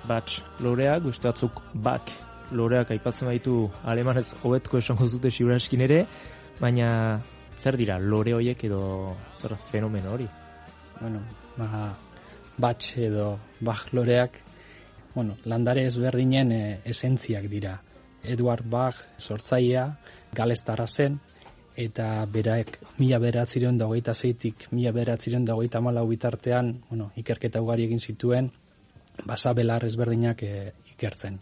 batch loreak, beste batzuk back loreak aipatzen baitu alemanez hobetko esango dute ziuraskin ere, baina zer dira lore horiek edo zer fenomeno hori? Bueno, batch edo Bach loreak, landare ezberdinen esentziak dira. Edward Bach sortzailea, galestarra zen, eta berak 1926tik 1934 bitartean, ikerketa ugari egin zituen, basabelar ezberdinak ikertzen.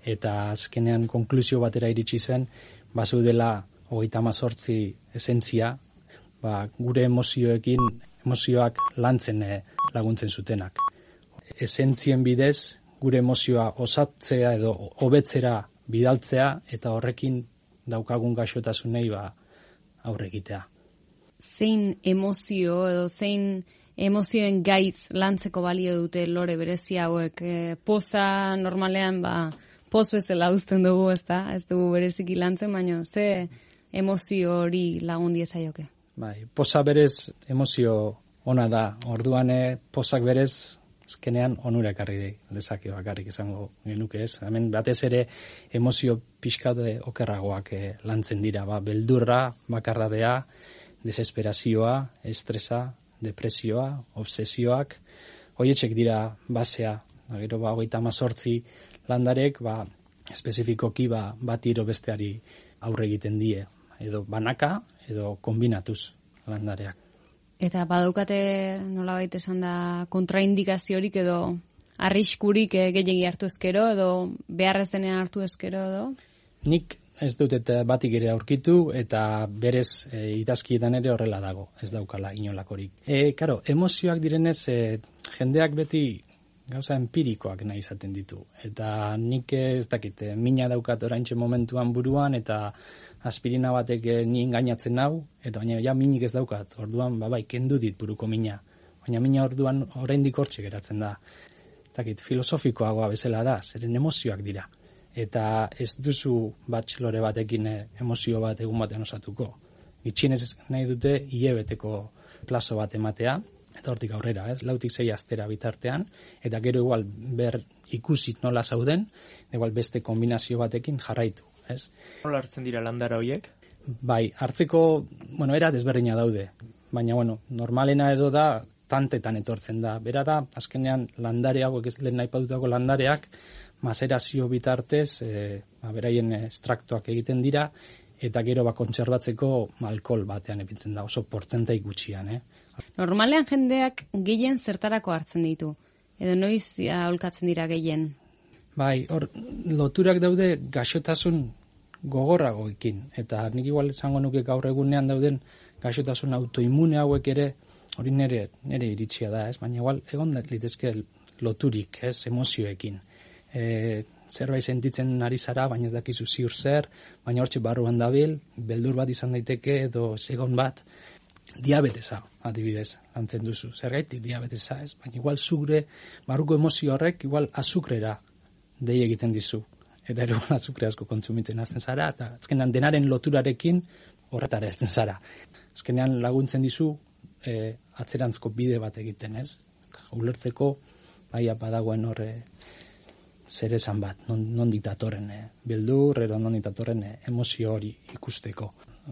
Eta azkenean konklusio batera iritsi zen, bazeudela 38 esentzia, gure emozioak lantzen laguntzen zutenak. Esentzien bidez, gure emozioa osatzea edo hobetzera bidaltzea, eta horrekin daukagun gaixotasunei aurre egitea. Zein emozio edo zein emozioen gaitz lantzeko balio dute lore berezi hauek? Poza normalean poz bezala uzten dugu, ez dugu bereziki lantzen, baina ze emozio hori lagun diezaioke? Poza berez emozio ona da, orduan pozak berez azkenean onura ekarri lezake bakarrik esango genuke ez. Hemen batez ere emozio pixkade okerragoak lantzen dira, beldurra, bakarradea, desesperazioa, estresa, depresioa, obsesioak, horietxek dira basea, gero 38 landarek espezifikoki bat iro besteari aurre egiten die, edo banaka edo kombinatuz landareak. Eta badaukate nolabait esan da kontraindikaziorik edo arriskurik gehiegi hartu ezkero edo beharrez denean hartu ezkero edo? Nik ez dut eta batik ere aurkitu eta berez idazkietan ere horrela dago, ez daukala inolakorik. Karo, emozioak direnez jendeak beti gauza empirikoak nahi izaten ditu. Eta nik ez dakit, mina daukat oraintxe momentuan buruan eta aspirina batek ni engainatzen nau, eta baina minik ez daukat, orduan kendu dit buruko mina. Baina mina orduan oraindik hortxe geratzen da. Dakit, filosofikoagoa bezala da, zeren emozioak dira. Eta ez duzu lore batekin emozio bat egun batean osatuko. Gitxienez nahi dute hilabeteko plazo bat ematea, eta hortik aurrera, 4-6 astera bitartean, eta gero igual ikusi nola zauden, igual beste kombinazio batekin jarraitu. Nola hartzen dira landara horiek? Hartzeko, era desberdina daude, baina, normalena edo da, tantetan etortzen da. Bera da, azkenean landare hauek ez lehen nahi padutako landareak, mazerazio bitartez, beraien estraktoak egiten dira, eta gero kontserbatzeko alkohol batean epintzen da, oso portzentai gutxian. Normalean jendeak gehien zertarako hartzen ditu, edo noiz aholkatzen dira gehien? Hor, loturak daude gaixotasun gogorragoekin, eta nik igual esango nuke gaur egunean dauden gaixotasun autoimune hauek ere, hori nire iritsia da, baina igual egon litezke loturik, emozioekin. Zerbait sentitzen ari zara, baina ez dakizu ziur zer, baina hortxe barruan dabil, beldur bat izan daiteke edo segon bat, diabetesa, adibidez, lantzen duzu. Zergaitik diabetesa, baina igual zure barruko emozio horrek igual azukrera dei egiten dizu. Eta ere azukre asko kontsumitzen hasten zara, eta azkenean denaren loturarekin horretara heltzen zara. Azkenean laguntzen dizu atzerantzko bide bat egiten, ulertzeko badagoen horre zer esan bat, non ditatorren beldur, edo non ditatorren emozio hori ikusteko.